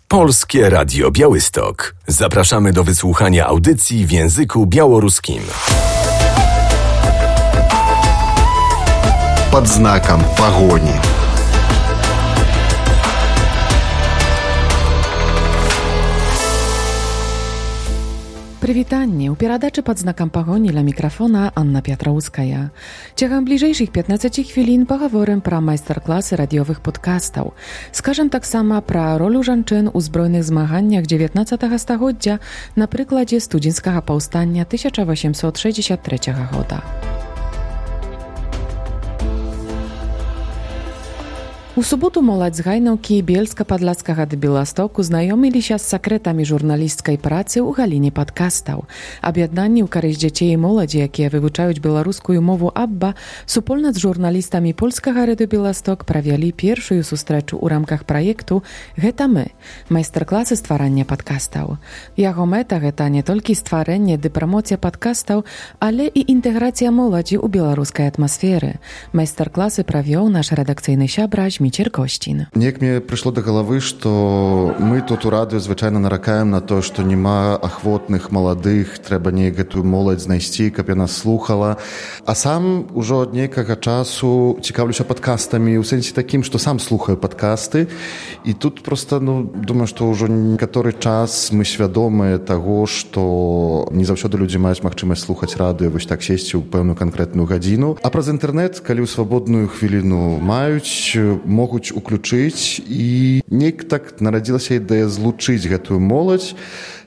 Polskie Radio Białystok. Zapraszamy do wysłuchania audycji w języku białoruskim. Под знаком погони. Прывітанне. У перадачы пад знакам пагоні ля мікрафона Анна Пятроўская. Цягам бліжэйшых 15 хвілін пагаворым пра майстар-класы радыёвых падкастаў. Скажам таксама пра ролю жанчын у збройных змаганнях 19 стагоддзя на прыкладзе студзеньскага паўстання 1863 года. У суботу моладзь з Гайнаўкі Бельска-Падлацкага да Беластоку знаёміліся з сакрэтамі журналісцкай працы ў галіне падкастаў. Аб'яднанні ў карысць дзяцей і моладзі, якія вывучаюць беларускую мову АББА, супольна з журналістамі польскага радыё Беласток правялі першую сустрэчу ў рамках праекту «Гэта мы» – майстар-класы стварання падкастаў. Яго мэта – гэта не толькі стварэнне ды прамоцыя падкастаў, але і інтэграцыя моладзі ў беларускай атмасферы. Майстар-класы правёў наш рэдакцыйны сябра Зміцер Косцін. Неяк мне прыйшло да галавы, што мы тут у радыё звычайна наракаем на то, што няма ахвотных маладых, трэба неяк гэтую моладзь знайсці, каб яна слухала. А сам ужо ад нейкага часу цікаўлюся падкастамі ў сэнсе такім, што сам слухаю падкасты. І тут проста, думаю, што ўжо некаторы час мы свядомыя таго, што не заўсёды людзі маюць магчымасць слухаць радыё, вось так сесці ў пэўную канкрэтную гадзіну. А праз інтэрнэт, калі ў свабодную хвіліну маюць, могуць уключыць, і неяк так нарадзілася ідэя злучыць гэтую моладзь,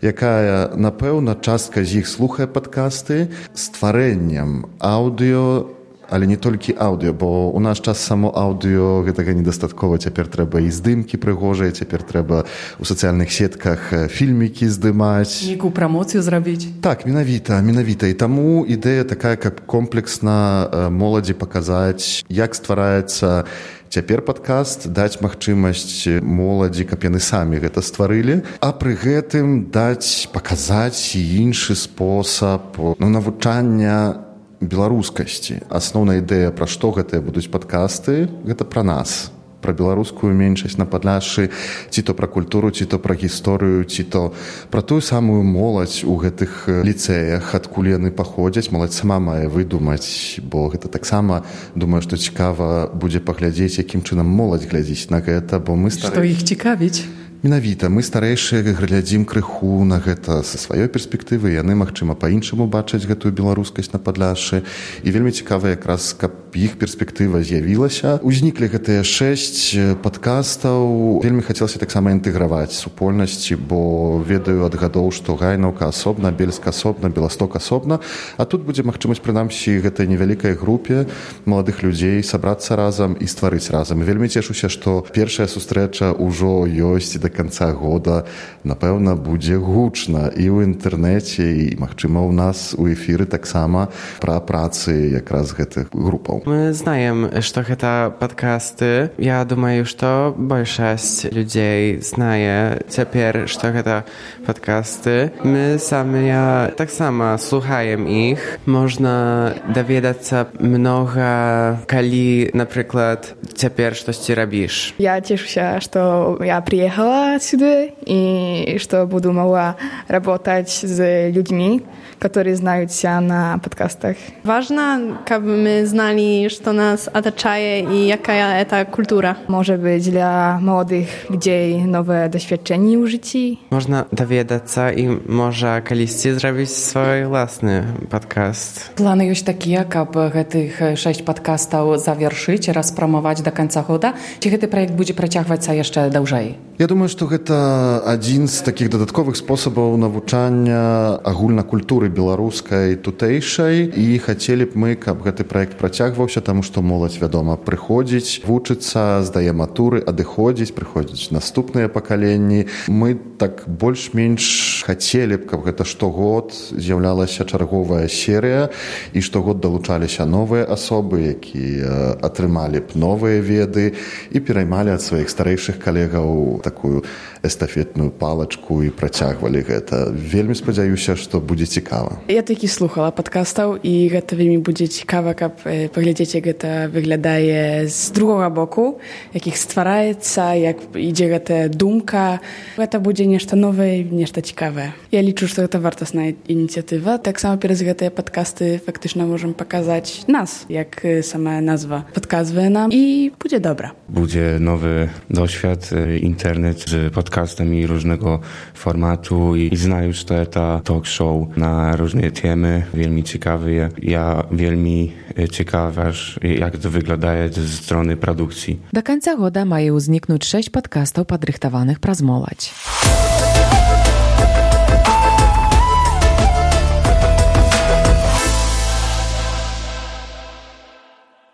якая, напэўна, частка з іх слухае падкасты, стварэннем аўдыё, але не толькі аўдыё, бо ў наш час само аўдыё гэтага недастаткова. Цяпер трэба і здымкі прыгожыя, цяпер трэба ў сацыяльных сетках фільмікі здымаць. Нейкую прамоцыю зрабіць. Так, менавіта. І таму ідэя такая, каб комплексна моладзі паказаць, як ствараецца цяпер падкаст, даць магчымасць моладзі, каб яны самі гэта стварылі, а пры гэтым паказаць і іншы спосаб навучання беларускасці. Асноўная ідэя, пра што гэтыя будуць падкасты, гэта пра нас, пра беларускую меншасць на Падляшшы, ці то пра культуру, ці то пра гісторыю, ці то пра тую самую моладзь у гэтых ліцэях, адкуль яны паходзяць. Моладзь сама мае выдумаць, бо гэта таксама, думаю, што цікава будзе паглядзець, якім чынам моладзь глядзіць на гэта, бо мы Што іх цікавіць? Менавіта, мы старэйшыя глядзім крыху на гэта са сваёй перспектывы, яны, магчыма, па-іншаму бачаць гэтую беларускасць на Падляшшы, і вельмі цікава якраз, каб іх перспектыва з'явілася. Узніклі гэтыя 6 падкастаў. Вельмі хацелася таксама інтэграваць супольнасці, бо ведаю ад гадоў, што Гайнаўка асобна, Бельск асобна, Беласток асобна, а тут будзе магчымасць, прынамсі, гэтай невялікай групе маладых людзей сабрацца разам і стварыць разам. І вельмі цешуся, што першая сустрэча ўжо ёсць, і да канца года, напэўна, будзе гучна і ў інтэрнэце, і, магчыма, у нас у эфіры таксама пра працы якраз гэтых групаў. Мы знаем, што гэта падкасты. Я думаю, што большасць людзей знае цяпер, што гэта падкасты. Мы самі таксама слухаем іх. Можна даведацца многа, калі, напрыклад, цяпер штосьці рабіш. Я цешуся, што я приехала отсюда и что буду могла работать с людьми, которые знают себя на подкастах. Важно, чтобы мы знали, что нас оточает и какая это культура. Может быть, для молодых людей новое doświadczenie в życiu. Można dowiadаться i może kiedyś zrobić swój własny podcast. Планы ёсць такія, каб гэтых 6 падкастаў завяршыць, распрамаваць да канца года? Ці гэты праект будзе працягвацца яшчэ даўжэй? Я думаю, што гэта адзін з такіх дадатковых спосабаў навучання агульнакультуры беларускай тутэйшай, і хацелі б мы, каб гэты праект працягваўся, таму што моладзь, вядома, прыходзіць, вучыцца, здае матуры, адыходзіць, прыходзяць наступныя пакаленні. Мы так больш-менш хацелі б, каб гэта штогод з'яўлялася чарговая серыя і штогод далучаліся новыя асобы, якія атрымалі б новыя веды і пераймалі ад сваіх старэйшых калегаў такую эстафетную палачку і працягвалі гэта. Вельмі спадзяюся, што будзе цікава. Я такі слухала падкастаў і гэта вельмі будзе цікава, каб паглядзець, як гэта выглядае з другога боку, як іх ствараецца, як ідзе гэтая думка. Гэта будзе нешта новае, нешта цікавае. Я лічу, што гэта вартасная ініцыятыва. Таксама праз гэтыя падкасты фактычна можам паказаць нас, як сама назва падказвае нам, і будзе добра. Będzie nowy doświad, internet z podcastami różnego formatu i zna już to talk show na różne temy, wielmi ciekawe. Ja wielmi ciekawa, jak to wygląda ze strony produkcji. Do końca года мае ўзнікнуць 6 падкастаў, падрыхтаваных праз моладзь.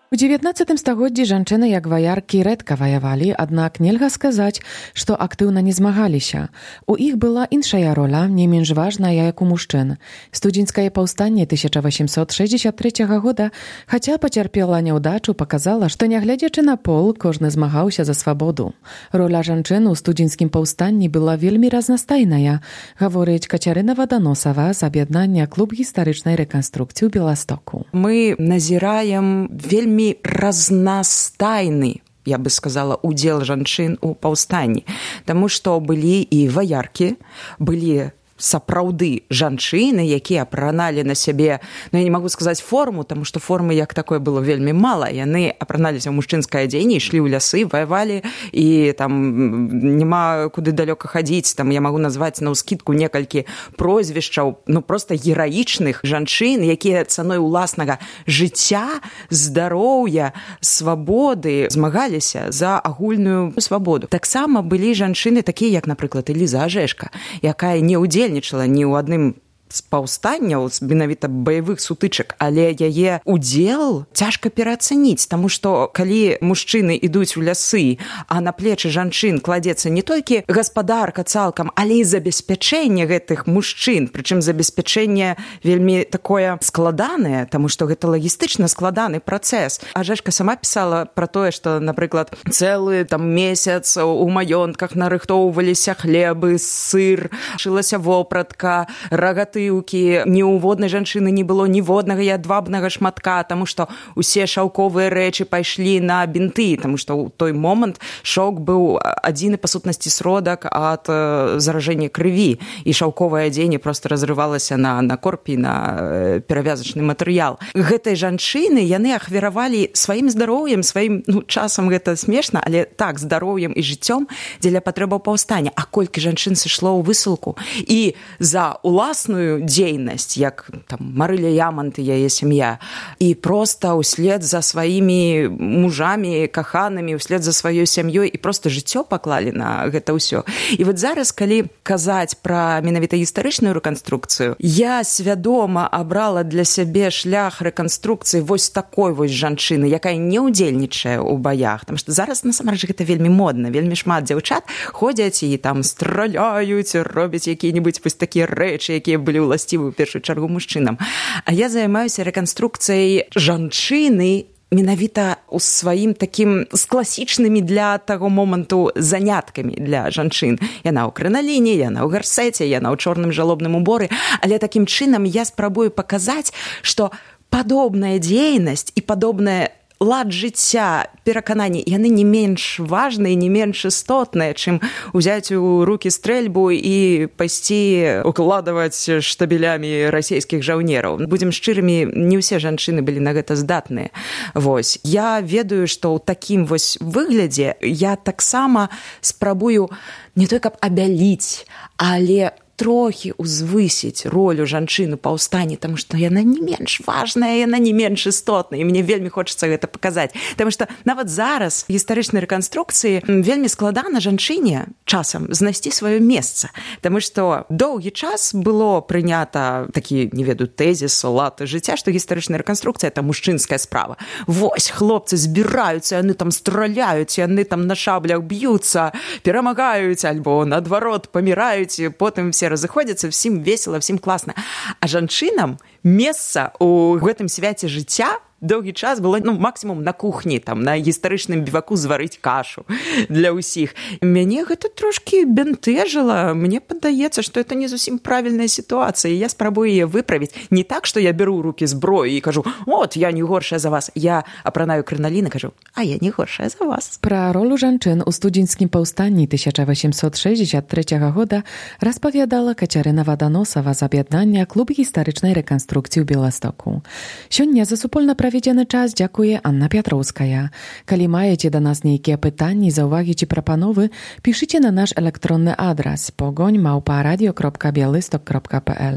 У 19 стагоддзі жанчыны як ваяркі рэдка ваявалі, аднак нельга сказаць, што актыўна не змагаліся. У іх была іншая роля, не менш важная, як у мужчын. Студзеньскае паўстанне 1863 года, хаця пацярпела няўдачу, паказала, што нягледзячы на пол, кожны змагаўся за свабоду. Роля жанчын у студзеньскім паўстанні была вельмі разнастайная, гаворыць Кацярына Ваданосава з аб'яднання клуб гістарычнай рэканструкцыі ў Беластоку. Мы назіраем вельмі разнастайны, я бы сказала, удзел жанчын у паўстанні, таму што былі і ваяркі, былі сапраўды жанчыны, якія апраналі на сябе, я не магу сказаць форму, таму што формы як такое было вельмі мала. Яны апраналіся ў мужчынскае адзенне, ішлі ў лясы, ваявалі, і там няма куды далёка хадзіць. Там я магу назваць наўскідку некалькі прозвішчаў, проста гераічных жанчын, якія цаной уласнага жыцця, здароўя, свабоды змагаліся за агульную свабоду. Таксама былі жанчыны такія, як, напрыклад, Эліза Ажэшка, якая не ўдзельнічала ні ў адным з паўстанняў, з менавіта баявых сутычак, але яе удзел цяжка пераацаніць, таму што калі мужчыны ідуць у лясы, а на плечы жанчын кладзецца не толькі гаспадарка цалкам, але і забеспячэнне гэтых мужчын, прычым забеспячэнне вельмі такое складанае, таму што гэта лагістычна складаны працэс. Ажэшка сама пісала пра тое, што, напрыклад, цэлы месяц у маёнтках нарыхтоўваліся хлебы, сыр, шылася вопратка, рагаты, ні ў воднай жанчыны не было ніводнага ядвабнага шматка, таму што усе шаўковыя рэчы пайшлі на бінты, таму што ў той момант шок быў адзіны па сутнасці сродак ад заражэння крыві, і шаўковае адзенне проста разрывалася на корпі, на перавязачны матэрыял. Гэтай жанчыны яны ахвяравалі сваім здароўем, сваім, часам гэта смешна, але так, здароўем і жыццём дзеля патрэбаў паўстання. А колькі жанчын сышло ў высылку і за уласную дзейнасць, як там Марыля Ямант і яе сям'я, і проста ўслед за сваімі мужамі, каханымі, услед за сваёй сям'ёй, і проста жыццё паклалі на гэта ўсё. І вот зараз, калі казаць пра менавіта гістарычную рэканструкцыю, я свядома абрала для сябе шлях рэканструкцыі вось такой вось жанчыны, якая не ўдзельнічае ў баях, таму што зараз насамрэч гэта вельмі модна, вельмі шмат дзяўчат ходзяць і там страляюць, робяць якія-небудзь вось такія рэчы, якія былі уласцівы ў першую чаргу мужчынам. А я займаюся рэканструкцыяй жанчыны менавіта ў сваім такім з класічнымі для таго моманту заняткамі для жанчын. Яна ў крыналіне, яна ў гарсеце, яна ў чорным жалобным уборы, але такім чынам я спрабую паказаць, што падобная дзейнасць і падобная лад жыцця, перакананні, яны не менш важныя, не менш істотныя, чым узяць у рукі стрэльбу і пайсці укладваць штабелямі расійскіх жаўнераў. Будзем шчырымі, не ўсе жанчыны былі на гэта здатныя. Вось. Я ведаю, што ў такім вось выглядзе я таксама спрабую не той, каб абяліць, але трохі узвысіць ролю жанчыны паўстанні, таму што яна не менш важная, яна не менш істотная, і мне вельмі хочацца гэта паказаць. Таму што нават зараз гістарычнай рэканструкцыі вельмі складана жанчыне часам знайсці сваё месца, таму што доўгі час было прынята такі, не ведаю, тэзіс, лад жыцця, што гістарычная рэканструкцыя – это мужчынская справа. Вось, хлопцы збіраюцца, яны там страляюць, яны там на шаблях б'юцца, перамагаюць, альбо, наадварот, паміраюць, і потым все все разыходзяцца, всім весела, всім класна. А жанчынам месца ў гэтым свяце жыцця доўгі час было максімум на кухні, там, на гістарычным біваку зварыць кашу для ўсіх. Мяне гэта трошкі бянтэжыла. Мне падаецца, што это не зусім правільная сітуацыя. Я спрабую яе выправіць. Не так, што я беру ў рукі зброю і кажу, от, я не горшая за вас. Я апранаю крыналін і кажу, а я не горшая за вас. Пра ролю жанчын у студзеньскім паўстанні 1863 года распавядала Кацярына Ваданосава з аб'яднання Клуб гістарычнай рэканструкцыі ў Беластоку. Сёння за супольна праведзены час дзякуе Анна Пятроўская. Калі маеце да нас нейкія пытанні, заўвагі ці прапановы, пішыце на наш электронны адрас pogoń@radio.bialystok.pl.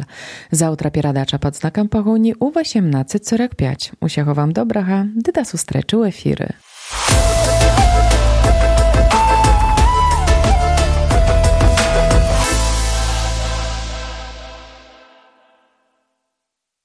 Заўтра перадача пад знакам пагоні ў 18:45. Усяго вам добрага, ды да сустрэчы ў эфіры.